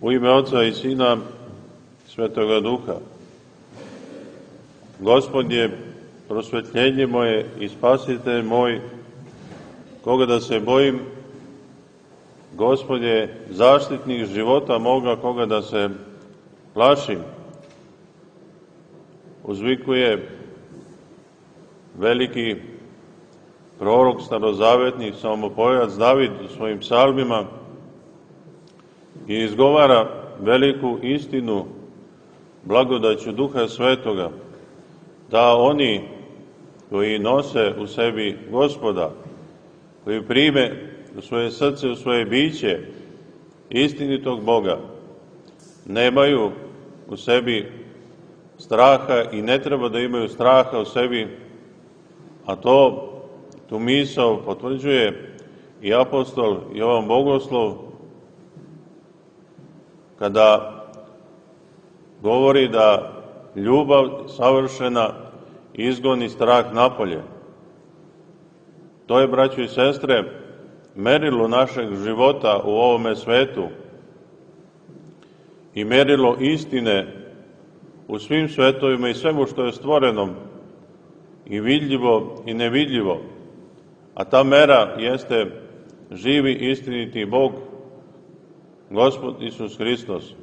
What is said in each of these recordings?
U ime Oca i Sina, Svetoga Duha. Gospod je prosvetljenje moje i spasitelj moj, koga da se bojim. Gospod je zaštitnik života moga, koga da se plašim. Uzvikuje veliki prorok starozavetni, psalmopojac David u svojim psalmima i izgovara veliku istinu blagodaću Duha Svetoga, da oni koji nose u sebi Gospoda, koji prime u svoje srce, u svoje biće istinitog Boga, nemaju u sebi straha i ne treba da imaju straha u sebi, a tu misao potvrđuje i apostol Jovan Bogoslov, kada govori da ljubav savršena izgoni strah napolje. To je, braćo i sestre, merilo našeg života u ovome svetu i merilo istine u svim svetovima i svemu što je stvoreno, i vidljivo i nevidljivo. A ta mera jeste živi istiniti Bog, Gospod Isus Hristos.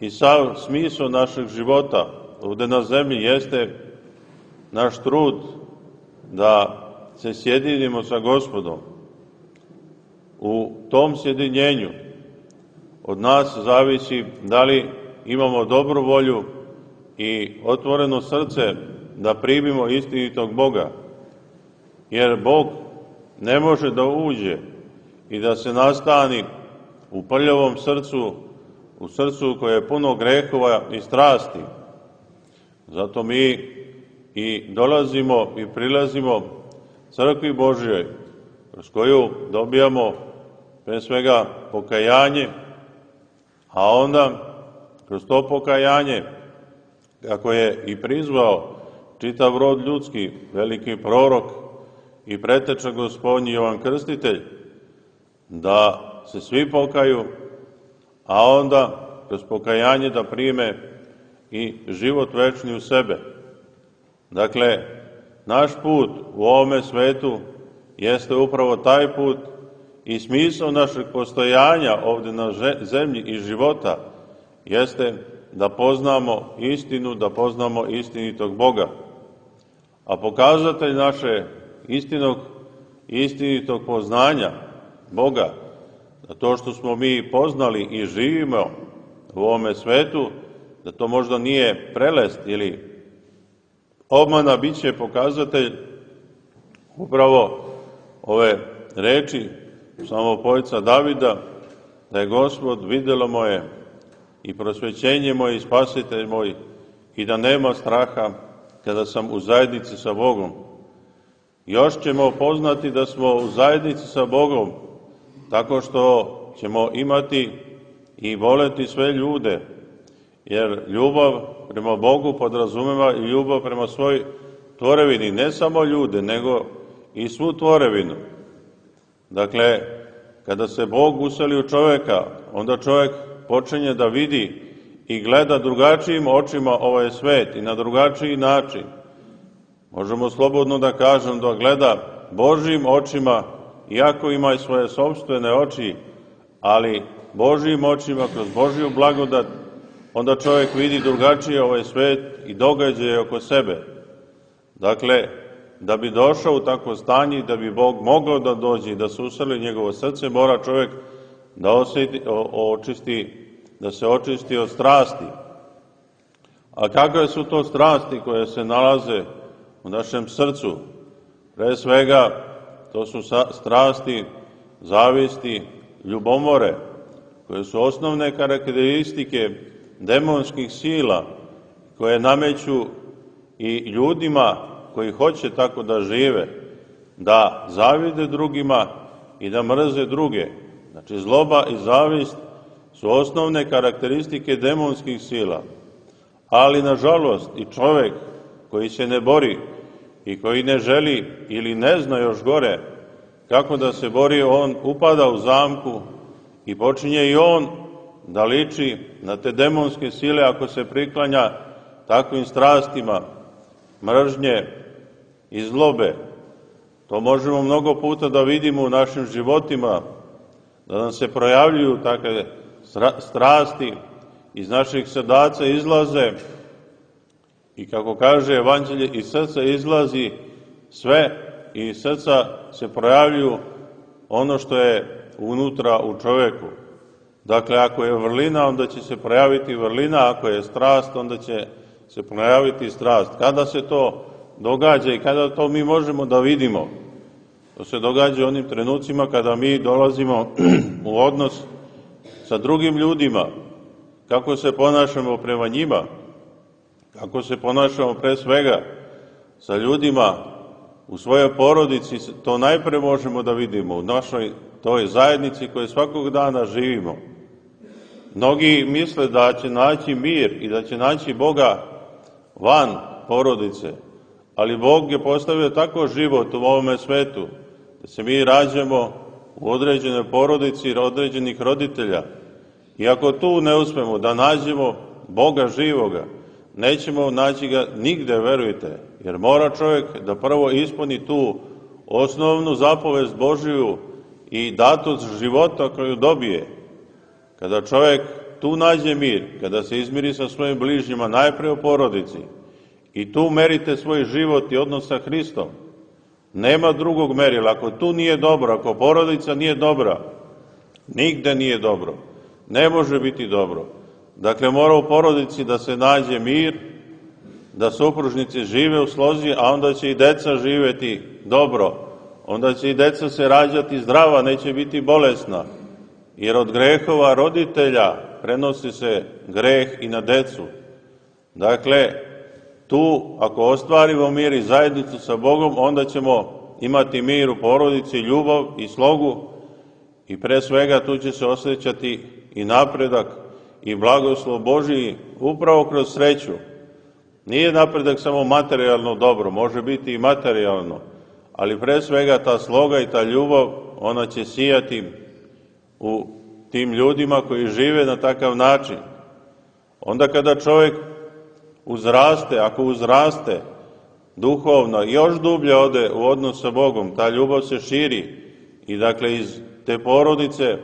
I sav smisao našeg života ovde na zemlji jeste naš trud da se sjedinimo sa Gospodom. U tom sjedinjenju od nas zavisi da li imamo dobru volju i otvoreno srce da primimo istinitog Boga. Jer Bog ne može da uđe i da se nastani u prljavom srcu, u srcu koje je puno grehova i strasti. Zato mi i dolazimo i prilazimo crkvi Božjoj, kroz koju dobijamo pre svega pokajanje, a onda kroz to pokajanje, kako je i prizvao čitav rod ljudski, veliki prorok i preteča Gospodnji Jovan Krstitelj, da se svi pokaju, a onda kroz pokajanje da prime i život večni u sebe. Dakle, naš put u ovome svetu jeste upravo taj put i smisao našeg postojanja ovde na zemlji i života jeste da poznamo istinu, da poznamo istinitog Boga. A pokazatelj naše istinitog poznanja Boga, da to što smo mi poznali i živimo u ovome svetu, da to možda nije prelest ili obmana, bit će pokazatelj upravo ove reči psalmopojca Davida, da je Gospod videlo moje i prosvećenje moje i spasitelj moj i da nema straha kada sam u zajednici sa Bogom. Još ćemo poznati da smo u zajednici sa Bogom tako što ćemo imati i voleti sve ljude, jer ljubav prema Bogu podrazumeva i ljubav prema svoj tvorevini, ne samo ljude, nego i svu tvorevinu. Dakle, kada se Bog useli u čoveka, onda čovek počinje da vidi i gleda drugačijim očima ovaj svet i na drugačiji način. Možemo slobodno da kažem da gleda Božjim očima, iako ima i svoje sopstvene oči, ali Božjim očima, kroz Božju blagodat, onda čovjek vidi drugačije ovaj svet i događaje oko sebe. Dakle, da bi došao u takvo stanje, da bi Bog mogao da dođe i da se useli njegovo srce, mora čovjek da se očisti od strasti. A kakve su to strasti koje se nalaze u našem srcu? Pre svega, to su strasti, zavisti, ljubomore, koje su osnovne karakteristike demonskih sila, koje nameću i ljudima koji hoće tako da žive, da zavide drugima i da mrze druge. Znači, zloba i zavist su osnovne karakteristike demonskih sila. Ali, nažalost, i čovek koji se ne bori i koji ne želi ili ne zna još gore kako da se bori, on upada u zamku i počinje i on da liči na te demonske sile ako se priklanja takvim strastima, mržnje i zlobe. To možemo mnogo puta da vidimo u našim životima, da nam se projavljuju takve strasti, iz naših srdaca izlaze i kako kaže Evanđelje, iz srca izlazi sve i iz srca se projavljuju ono što je unutra u čoveku. Dakle, ako je vrlina, onda će se projaviti vrlina, ako je strast, onda će se projaviti strast. Kada se to događa i kada to mi možemo da vidimo? To se događa u onim trenucima kada mi dolazimo u odnos sa drugim ljudima, kako se ponašamo prema njima, kako se ponašamo pre svega sa ljudima u svojoj porodici, to najpre možemo da vidimo u našoj toj zajednici koje svakog dana živimo. Mnogi misle da će naći mir i da će naći Boga van porodice, ali Bog je postavio tako život u ovome svetu, da se mi rađamo u određenoj porodici određenih roditelja. I ako tu ne uspemo da nađemo Boga živoga, nećemo naći ga nigde, verujte, jer mora čovjek da prvo ispuni tu osnovnu zapovest Božiju i datost života koju dobije. Kada čovjek tu nađe mir, kada se izmiri sa svojim bližnjima, najpre u porodici, i tu merite svoj život i odnos sa Hristom, nema drugog merila. Ako tu nije dobro, ako porodica nije dobra, nigde nije dobro. Ne može biti dobro. Dakle, mora u porodici da se nađe mir, da supružnici žive u slozi, a onda će i deca živeti dobro. Onda će i deca se rađati zdrava, neće biti bolesna. Jer od grehova roditelja prenosi se greh i na decu. Dakle, tu, ako ostvarimo mir i zajednicu sa Bogom, onda ćemo imati mir u porodici, ljubav i slogu i pre svega tu će se osjećati i napredak i blagoslov Božiji upravo kroz sreću. Nije napredak samo materijalno dobro, može biti i materijalno, ali pre svega ta sloga i ta ljubav, ona će sijati u tim ljudima koji žive na takav način. Onda kada čovjek uzraste, ako uzraste duhovno, još dublje ode u odnos sa Bogom, ta ljubav se širi i dakle iz te porodice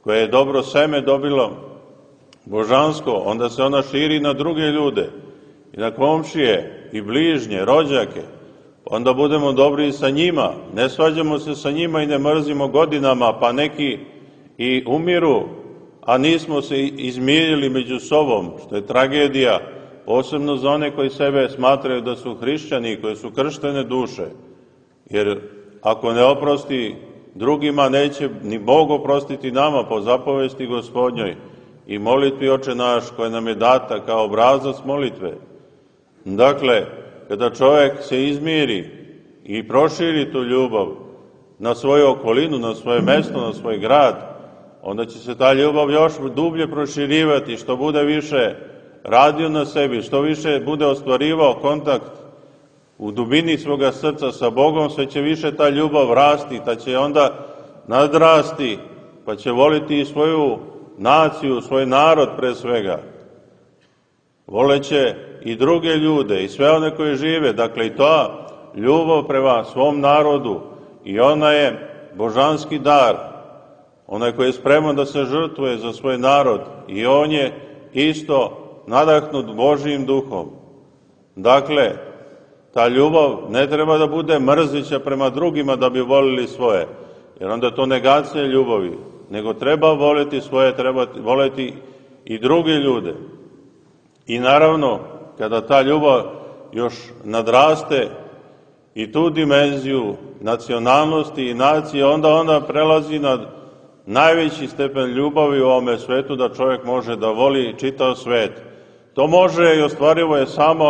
koje je dobro seme dobilo božansko, onda se ona širi na druge ljude i na komšije i bližnje, rođake, onda budemo dobri i sa njima, ne svađamo se sa njima i ne mrzimo godinama, pa neki i umiru, a nismo se izmirili među sobom, što je tragedija, posebno za one koji sebe smatraju da su hrišćani, koji su krštene duše, jer ako ne oprosti drugima, neće ni Bog oprostiti nama po zapovesti Gospodnjoj i molitvi Oče naš koja nam je data kao obrazac molitve. Dakle, kada čovjek se izmiri i proširi tu ljubav na svoju okolinu, na svoje mesto, na svoj grad, onda će se ta ljubav još dublje proširivati, što bude više radio na sebi, što više bude ostvarivao kontakt u dubini svoga srca sa Bogom, sve će više ta ljubav rasti, ta će onda nadrasti, pa će voliti i svoju naciju, svoj narod pre svega. Voleće i druge ljude i sve one koji žive, dakle i ta ljubav prema svom narodu i ona je božanski dar, onaj koji je spreman da se žrtvuje za svoj narod i on je isto nadahnut Božijim duhom. Dakle, ta ljubav ne treba da bude mrzića prema drugima da bi volili svoje, jer onda je to negacija ljubavi, nego treba voliti svoje, treba voliti i druge ljude. I naravno, kada ta ljubav još nadraste i tu dimenziju nacionalnosti i nacije, onda prelazi na najveći stepen ljubavi u ovome svetu, da čovjek može da voli čitav svet. To može i ostvarivo je samo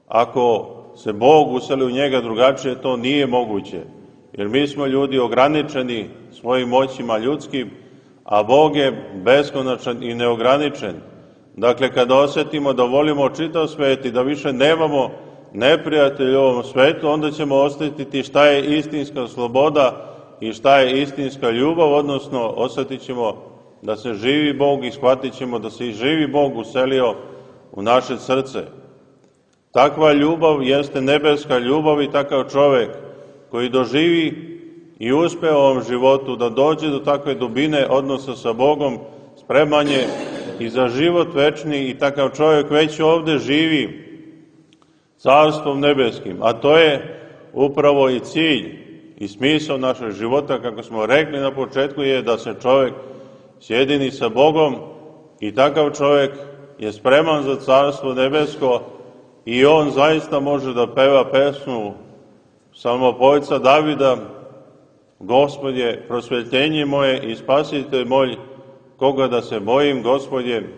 ako se Bog useli u njega, drugačije to nije moguće. Jer mi smo ljudi ograničeni svojim moćima ljudskim, a Bog je beskonačan i neograničen. Dakle, kada osjetimo da volimo čitav svet i da više nemamo neprijatelja u ovom svetu, onda ćemo osjetiti šta je istinska sloboda i šta je istinska ljubav, odnosno osjetit ćemo da se živi Bog i shvatit ćemo da se i živi Bog uselio u naše srce. Takva ljubav jeste nebeska ljubav i takav čovek koji doživi i uspe u ovom životu da dođe do takve dubine odnosa sa Bogom, spreman je i za život večni i takav čovjek već ovde živi carstvom nebeskim, a to je upravo i cilj i smisao našeg života, kako smo rekli na početku, je da se čovjek sjedini sa Bogom i takav čovjek je spreman za carstvo nebesko i on zaista može da peva pesmu psalmopevca Davida: Gospod je prosvetljenje moje i spasitelj moj, koga da se bojim, Gospod je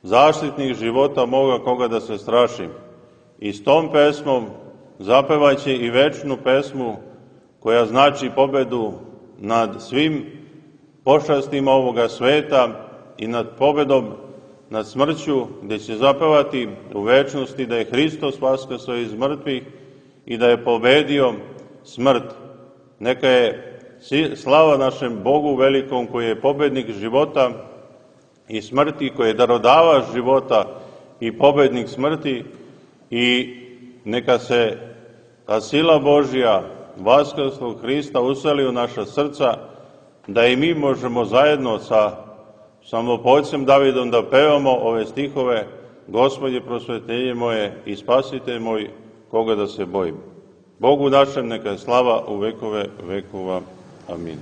zaštitnik života moga, koga da se strašim. I s tom pesmom zapevaće i večnu pesmu koja znači pobedu nad svim pošastima ovoga sveta i nad pobedom nad smrću, gde će zapevati u večnosti da je Hristos vaskrsao iz mrtvih i da je pobedio smrt. Neka je slava našem Bogu velikom, koji je pobednik života i smrti, koji je darodavač života i pobednik smrti, i neka se ta sila Božja vaskrslog Hrista useli u naša srca, da i mi možemo zajedno sa psalmopevcem Davidom da pevamo ove stihove: Gospod je prosvetljenje moje i spasitelj moj, koga da se bojim. Bogu našem neka je slava u vekove vekova. Amin.